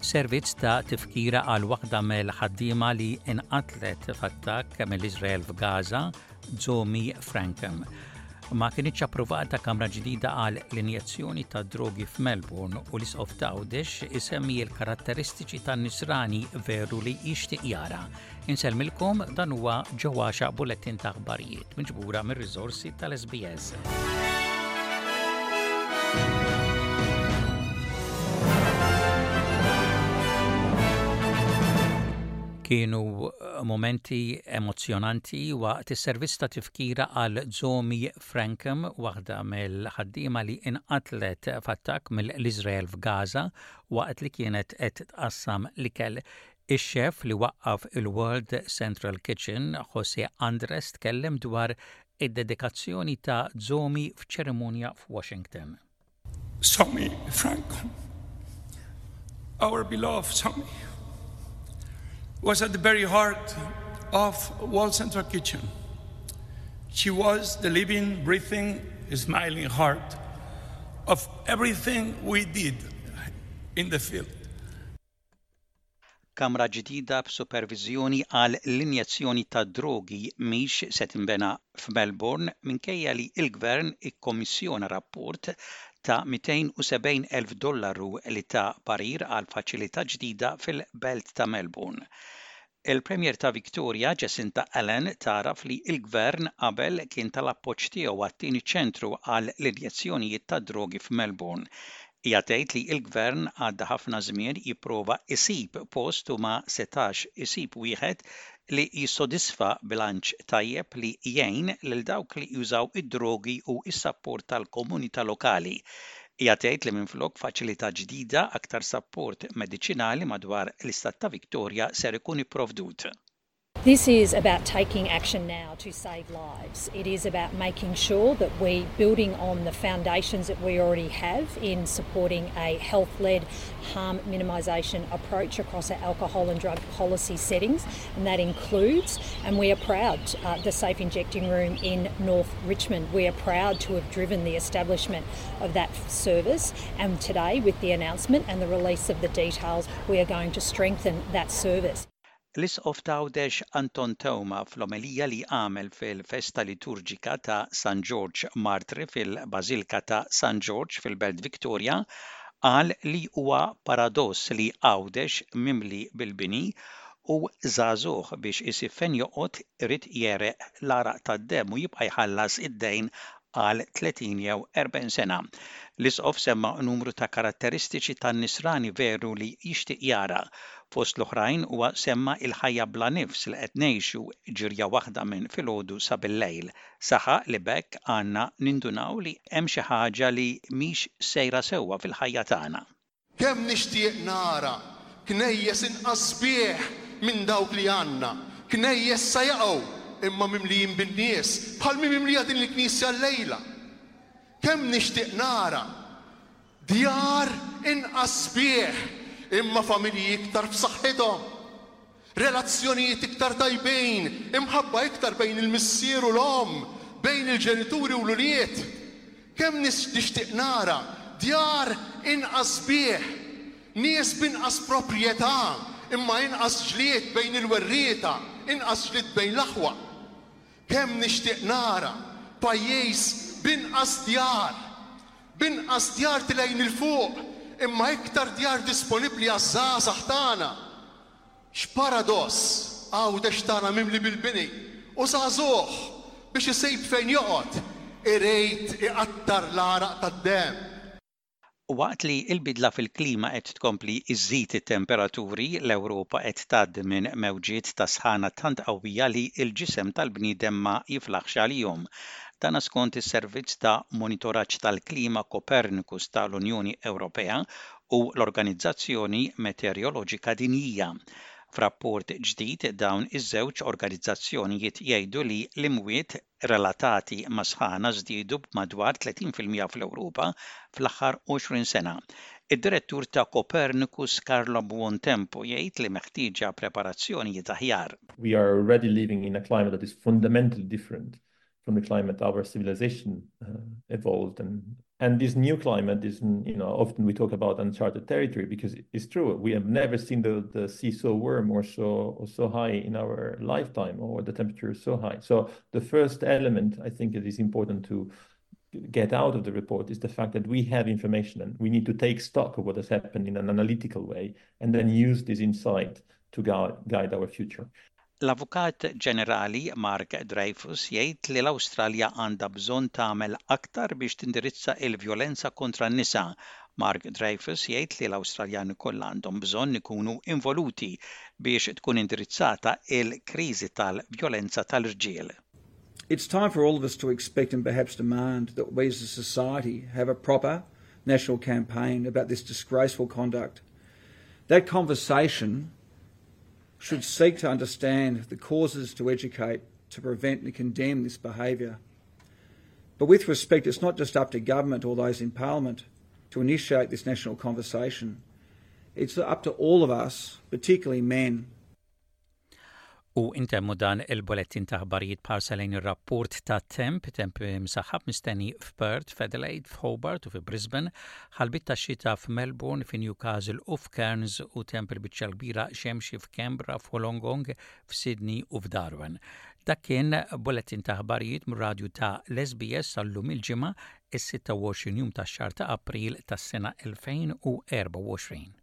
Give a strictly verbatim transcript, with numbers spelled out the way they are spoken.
Servizz ta' tifkira għal waħda mill-ħaddiema li inqatlet f'attakk mill-Iżrael f'Gaza, Zomi Frankcom. Ma kinitx approvata kamra ġdida għal l-injezzjoni ta' drogi f'Melbourne u l-Isqof t'Għawdex isemmi l-karatteristiċi tan-nisrani veru li jixtieq jara. Insellmilkom dan huwa ġewwaxa bulletin ta' aħbarijiet miġbura mir-riżorsi tal-SBS. Kienu momenti emozjonanti waqt is-servizz ta' tifkira għal Zomi Frankcom, waħda mill-ħaddiema li inqatlet f'attakk mill-Iżrael f'Gaza waqt li kienet qed tqassam l-ikel. Ix-xef li waqqaf il-World Central Kitchen, Jose Andres, tkellem dwar id-dedikazzjoni ta' Zomi f'ċerimonja f'Washington. Zomi Frankcom, our beloved Zomi, was at the very heart of World Central Kitchen. She was the living, breathing, smiling heart of everything we did in the field. Kamra ġdida b'supervizjoni għal l-injezzjoni ta' drogi mhix se tinbena f'Melbourne minkejja li l-gvern ikkommissjona rapport ta' mitejn u sebgħin elf dollaru li ta' parir għal faċilità ġdida fil-belt ta' Melbourne. Il-Premier ta' Victoria, Jacinta Allan, taraf li l-gvern qabel kien tal-appoġġ tiegħu għat-tieni ċentru għal l-injezzjonijiet ta' drogi f'Melbourne. Hija tgħid li l-gvern għadda ħafna żmien jipprova isib post u ma setax isib wieħed li jissodisfa bilanċ tajjeb li jgħin lil dawk li jużaw id-drogi u s-sapport tal-komunità lokali. Hija tgħid li minflok faċilità ġdida aktar sapport mediċinali madwar l-istat ta' Victoria ser ikun ipprovdut. This is about taking action now to save lives. It is about making sure that we building on the foundations that we already have in supporting a health-led harm minimisation approach across our alcohol and drug policy settings, and that includes, and we are proud, uh, the Safe Injecting Room in North Richmond. We are proud to have driven the establishment of that service, and today with the announcement and the release of the details, we are going to strengthen that service. L-Isqof t'Għawdex Anton Teuma fl-omelija li għamel fil-festa liturġika ta' San Ġorġ Martri fil-Bażilika ta' San Ġorġ fil-Belt Victoria qal li huwa paradoss li Għawdex mimli bil-bini u żagħżugħ biex isib fejn joqgħod irid jereq l-għaraq tad-demm u jibqa' jħallas id-dejn għal tletin jew erbgħin sena. L-Isqof semma numru ta' karatteristiċi tan-nisrani veru li jixtieq jara. Fost l-oħrajn huwa semma il-ħajja bla nifs li qed ngħixu ġirja waħda minn filgħodu sa bil-lejl. Saħaq li b'hekk għandna nindunaw li hemm xi ħaġa li mhix sejra sewwa fil-ħajja tagħna. Kemm nixtieq nara knejjes inqas sbieħ minn dawk li għandna, knejjes sa jaqgħu imma mimlijin bin-nies bħal mi mimlija din il-knisja llejla. Kemm nixtieq nara djar inqas sbieħ imma familji iktar b'saħħithom, relazzjonijiet iktar tajbin, imħabba iktar bejn il-missier u l-omm, bejn il-ġenituri u l-ulied. Kemm nixtieq nara djar inqas sbieħ, nies b'inqas proprjetà, imma inqas ġlied bejn il-werrieta, inqas ġlied bejn l-aħwa. Kemm nixtieq nara pajjiż b'inqas djar, b'inqas djar tilejn il-fuq, imma iktar djar disponibbli għaż-żgħażagħ tagħna. X'paradoss Għawdex tagħna mimli bil-bini u żagħżugħ biex isib fejn joqgħod irid iqattar l-għaraq tad-demm. Waqt li l-bidla fil-klima qed tkompli iżżid it-temperaturi, l-Ewropa qed tgħaddi minn mewġiet ta' sħana tant qawwija li l-ġisem tal-bniedem ma jiflaħx għalihom. Dan skont is-Servizz ta' Monitoraġġ tal-Klima Copernicus tal-Unjoni Ewropea u l-Organizzazzjoni Meteoroloġika Dinjija. F'rapport ġdid dawn iż-żewġ organizzazzjonijiet jgħidu li l-imwiet relatati ma' sħana żdiedu b'madwar tletin fil-mija fl-Ewropa fl-aħħar għoxrin sena. Id-direttur ta' Copernicus Carlo Buontempo jgħid li meħtieġa preparazzjonijiet aħjar. We are already living in a climate that is fundamentally different from the climate our civilization, uh, evolved and And this new climate is, you know, often we talk about uncharted territory because it's true. We have never seen the, the sea so warm or so or so high in our lifetime, or the temperature so high. So the first element I think it is important to get out of the report is the fact that we have information and we need to take stock of what has happened in an analytical way and then use this insight to guide, guide our future. L-Avukat Ġenerali Mark Dreyfus jgħid li l-Awstralja għandha bżonn tagħmel aktar biex tindirizza il-vjolenza kontra n-nisa. Mark Dreyfus jgħid li l-Awstraljani kollha għandhom bżonn ikunu involuti biex tkun indirizzata il-kriżi tal-vjolenza tal-irġiel. It's time for all of us to expect and perhaps demand that we as a society have a proper national campaign about this disgraceful conduct. That conversation should seek to understand the causes to educate, to prevent and condemn this behaviour. But with respect, it's not just up to government or those in Parliament to initiate this national conversation. It's up to all of us, particularly men, U intemmu dan il-bullettin ta' aħbarijiet b'ħarsa lejn ir-rapport ta' temp, temp msaħħab mistenni f'Perth, f'Adelaide, f'Hobart u f'Brisbane, ħalbiet ta' xita f'Melbourne, f'Newcastle u f'Cairns u temp il-biċċa kbira xemxi f'Canberra, f'Wollongong, f'Sydney u f'Darwin. Dak kien bullettin ta' aħbarijiet mir-radju ta' l-S B S sal-lum il-Ġimgħa, is-sitta u għoxrin jum tax-xahar ta' April tas-sena elfejn u erbgħa u għoxrin.